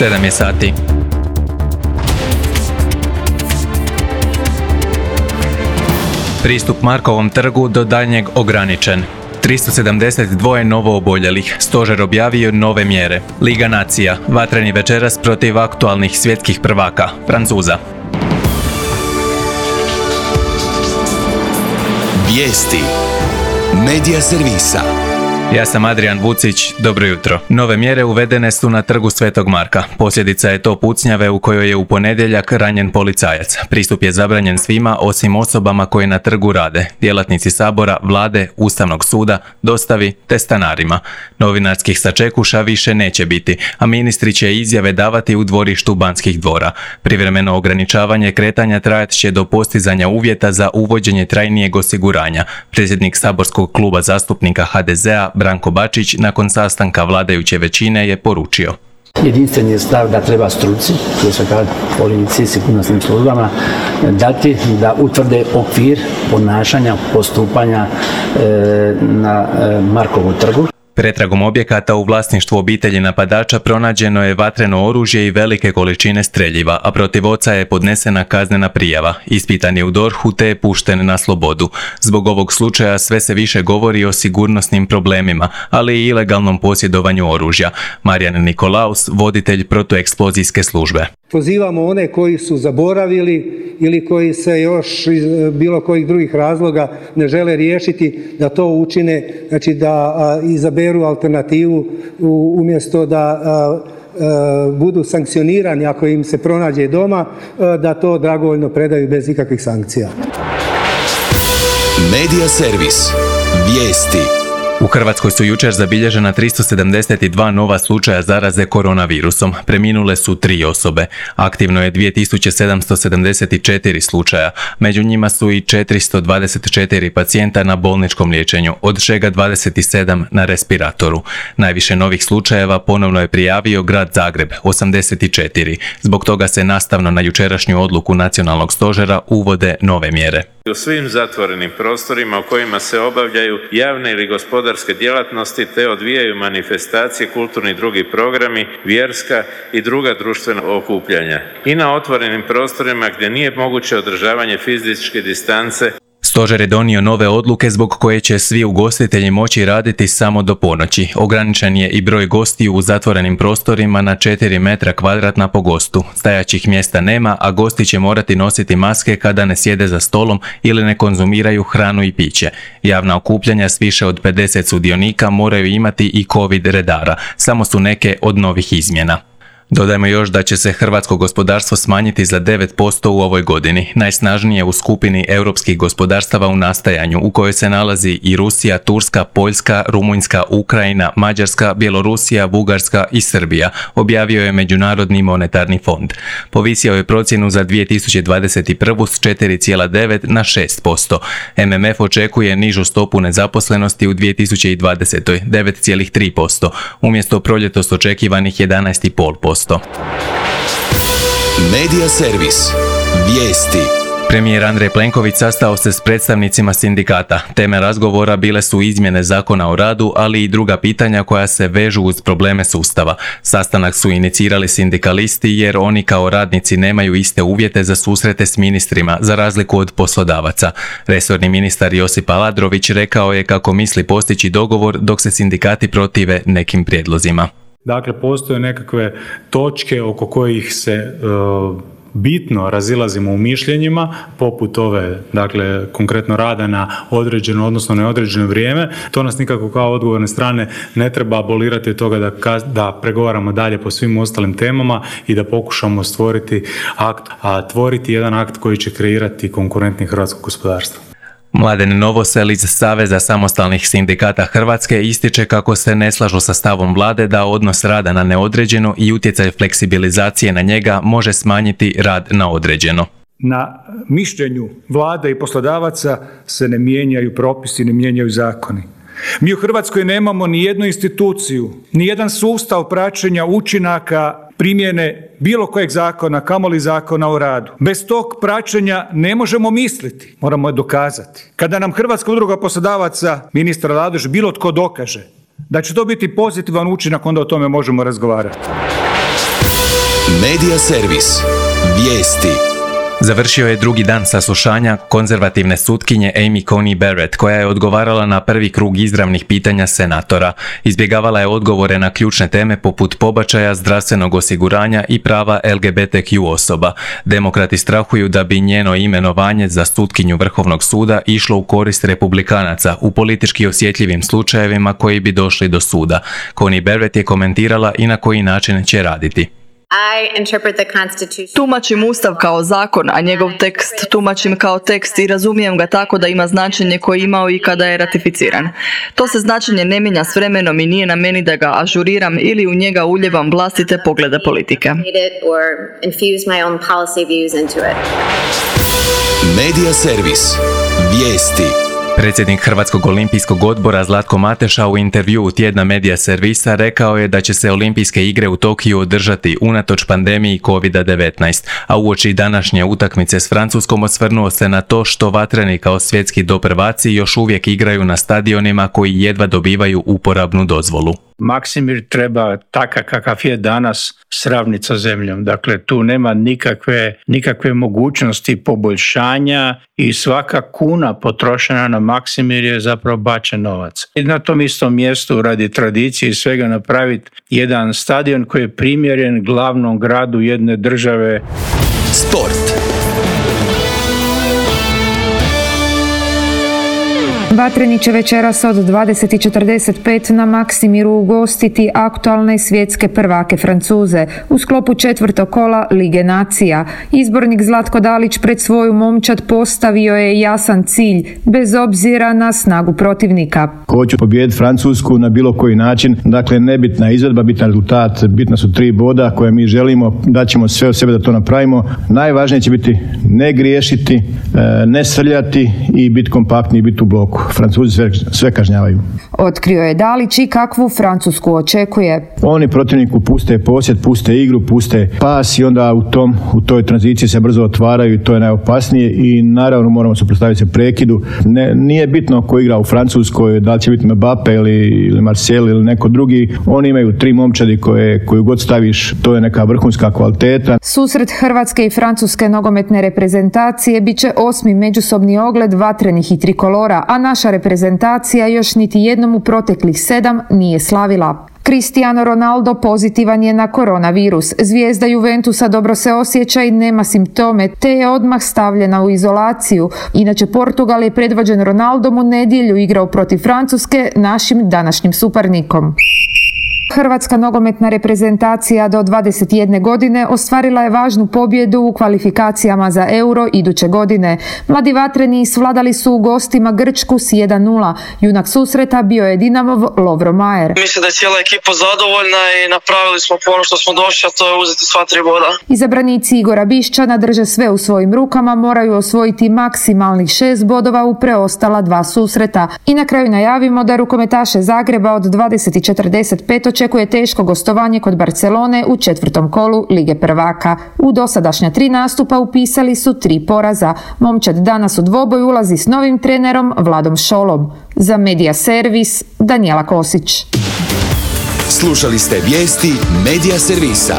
7 je sati. Pristup Markovom trgu do daljnjeg ograničen. 372 novo oboljelih. Stožer objavio nove mjere. Liga nacija. Vatreni večeras protiv aktualnih svjetskih prvaka, Francuza. Vijesti. Medija servisa. Ja sam Adrian Vucić, dobro jutro. Nove mjere uvedene su na trgu Svetog Marka. Posljedica je to pucnjave u kojoj je u ponedjeljak ranjen policajac. Pristup je zabranjen svima osim osobama koje na trgu rade, djelatnici sabora, vlade, Ustavnog suda, dostavi te stanarima. Novinarskih sačekuša više neće biti, a ministri će izjave davati u dvorištu Banskih dvora. Privremeno ograničavanje kretanja trajat će do postizanja uvjeta za uvođenje trajnijeg osiguranja. Predsjednik saborskog kluba zastupnika HDZ-a Branko Bačić nakon sastanka vladajuće većine je poručio. Jedinstven je stav da treba struci, prije svega policiji i sigurnosnim službama, dati da utvrde okvir ponašanja, postupanja na Markovom trgu. Pretragom objekata u vlasništvu obitelji napadača pronađeno je vatreno oružje i velike količine streljiva, a protiv oca je podnesena kaznena prijava. Ispitan je u DORH-u te je pušten na slobodu. Zbog ovog slučaja sve se više govori o sigurnosnim problemima, ali i ilegalnom posjedovanju oružja. Marijan Nikolaus, voditelj protueksplozijske službe. Pozivamo one koji su zaboravili ili koji se još iz bilo kojih drugih razloga ne žele riješiti da to učine, znači da izaberu alternativu umjesto da budu sankcionirani ako im se pronađe doma, da to dragovoljno predaju bez ikakvih sankcija. Medija servis. Vijesti. U Hrvatskoj su jučer zabilježena 372 nova slučaja zaraze koronavirusom. Preminule su 3 osobe. Aktivno je 2774 slučaja. Među njima su i 424 pacijenta na bolničkom liječenju, od čega 27 na respiratoru. Najviše novih slučajeva ponovno je prijavio grad Zagreb, 84. Zbog toga se nastavno na jučerašnju odluku Nacionalnog stožera uvode nove mjere. U svim zatvorenim prostorima u kojima se obavljaju javne ili gospodarske djelatnosti te odvijaju manifestacije, kulturni i drugi programi, vjerska i druga društvena okupljanja. I na otvorenim prostorima gdje nije moguće održavanje fizičke distance. Stožer je donio nove odluke zbog koje će svi ugostitelji moći raditi samo do ponoći. Ograničen je i broj gostiju u zatvorenim prostorima na 4 metra kvadratna po gostu. Stajaćih mjesta nema, a gosti će morati nositi maske kada ne sjede za stolom ili ne konzumiraju hranu i piće. Javna okupljanja s više od 50 sudionika moraju imati i COVID redara. Samo su neke od novih izmjena. Dodajmo još da će se hrvatsko gospodarstvo smanjiti za 9% u ovoj godini, najsnažnije u skupini europskih gospodarstava u nastajanju, u kojoj se nalazi i Rusija, Turska, Poljska, Rumunjska, Ukrajina, Mađarska, Bjelorusija, Bugarska i Srbija, objavio je Međunarodni monetarni fond. Povisio je procjenu za 2021. s 4,9 na 6%. MMF očekuje nižu stopu nezaposlenosti u 2020. 9,3%, umjesto proljetos očekivanih 11,5%. Medija servis. Vijesti. Premijer Andrej Plenković sastao se s predstavnicima sindikata. Teme razgovora bile su izmjene Zakona o radu, ali i druga pitanja koja se vežu uz probleme sustava. Sastanak su inicirali sindikalisti jer oni kao radnici nemaju iste uvjete za susrete s ministrima, za razliku od poslodavaca. Resorni ministar Josip Aladrović rekao je kako misli postići dogovor dok se sindikati protive nekim prijedlozima. Dakle, postoje nekakve točke oko kojih se bitno razilazimo u mišljenjima, poput ove, dakle, konkretno rada na određeno, odnosno neodređeno vrijeme. To nas nikako kao odgovorne strane ne treba abolirati od toga da pregovaramo dalje po svim ostalim temama i da pokušamo stvoriti akt, a tvoriti jedan akt koji će kreirati konkurentni hrvatsko gospodarstvo. Mladen Novosel iz Saveza samostalnih sindikata Hrvatske ističe kako se ne slažu sa stavom vlade da odnos rada na neodređeno i utjecaj fleksibilizacije na njega može smanjiti rad na određeno. Na mišljenju vlade i poslodavaca se ne mijenjaju propisi, ne mijenjaju zakoni. Mi u Hrvatskoj nemamo ni jednu instituciju, ni jedan sustav praćenja učinaka primjene bilo kojeg zakona, kamoli zakona o radu. Bez tog praćenja ne možemo misliti, moramo je dokazati. Kada nam Hrvatska udruga poslodavaca, ministar Aladrović, bilo tko dokaže da će to biti pozitivan učinak, onda o tome možemo razgovarati. Medija servis. Vijesti. Završio je drugi dan saslušanja konzervativne sutkinje Amy Coney Barrett, koja je odgovarala na prvi krug izravnih pitanja senatora. Izbjegavala je odgovore na ključne teme poput pobačaja, zdravstvenog osiguranja i prava LGBTQ osoba. Demokrati strahuju da bi njeno imenovanje za sutkinju Vrhovnog suda išlo u korist republikanaca u politički osjetljivim slučajevima koji bi došli do suda. Coney Barrett je komentirala i na koji način će raditi. Tumačim Ustav kao zakon, a njegov tekst tumačim kao tekst i razumijem ga tako da ima značenje koje je imao i kada je ratificiran. To se značenje ne mijenja s vremenom i nije na meni da ga ažuriram ili u njega uljevam vlastite poglede politike. Medija servis. Vijesti. Predsjednik Hrvatskog olimpijskog odbora Zlatko Mateša u intervjuu tjedna Medija servisa rekao je da će se olimpijske igre u Tokiju održati unatoč pandemiji COVID-19, a uoči današnje utakmice s Francuskom osvrnuo se na to što vatreni kao svjetski doprvaci još uvijek igraju na stadionima koji jedva dobivaju uporabnu dozvolu. Maksimir treba takav kakav je danas sravniti sa zemljom. Dakle, tu nema nikakve mogućnosti poboljšanja i svaka kuna potrošena na Maksimir je zapravo bačen novac. I na tom istom mjestu radi tradicije i svega napraviti jedan stadion koji je primjeren glavnom gradu jedne države. Sport. Vatreni će večeras od 20:45 na Maksimiru ugostiti aktualne svjetske prvake Francuze u sklopu 4. kola Lige nacija. Izbornik Zlatko Dalić pred svoju momčad postavio je jasan cilj, bez obzira na snagu protivnika. Hoću pobijediti Francusku na bilo koji način, dakle nebitna izvedba, bitan rezultat, bitna su 3 boda koje mi želimo, daćemo sve od sebe da to napravimo. Najvažnije će biti ne griješiti, ne srljati i biti kompaktni i biti u bloku. Francuzi sve kažnjavaju. Otkrio je Dalić i kakvu Francusku očekuje. Oni protivniku puste posjed, puste igru, puste pas i onda u toj tranziciji se brzo otvaraju i to je najopasnije i naravno moramo suprotstaviti se prekidu. Nije bitno ko igra u Francuskoj, da li će biti Mbappe ili Marcel ili neko drugi. Oni imaju 3 momčadi koju god staviš, to je neka vrhunska kvaliteta. Susret Hrvatske i Francuske nogometne reprezentacije bit će 8. međusobni ogled vatrenih i trikolora, a naša reprezentacija još niti jednom u proteklih 7 nije slavila. Cristiano Ronaldo pozitivan je na koronavirus. Zvijezda Juventusa dobro se osjeća i nema simptome, te je odmah stavljena u izolaciju. Inače, Portugal je predvođen Ronaldom u nedjelju igrao protiv Francuske, našim današnjim suparnikom. Hrvatska nogometna reprezentacija do 21 godine ostvarila je važnu pobjedu u kvalifikacijama za Euro iduće godine. Mladi vatreni svladali su u gostima Grčku s 1:0. Junak susreta bio je Dinamov Lovro Majer. Mislim da je cijela ekipa zadovoljna i napravili smo ono što smo došli, a to je uzeti sva 3 boda. Izabranici Igora Bišćana drže sve u svojim rukama, moraju osvojiti maksimalnih 6 bodova u preostala 2 susreta. I na kraju najavimo da rukometaše Zagreba od 20:45 očekuje teško gostovanje kod Barcelone u 4. kolu Lige prvaka. U dosadašnja 3 nastupa upisali su 3 poraza. Momčad danas u dvoboj ulazi s novim trenerom Vladom Šolom. Za Medija servis, Danijela Kosić. Slušali ste vijesti Medija servisa.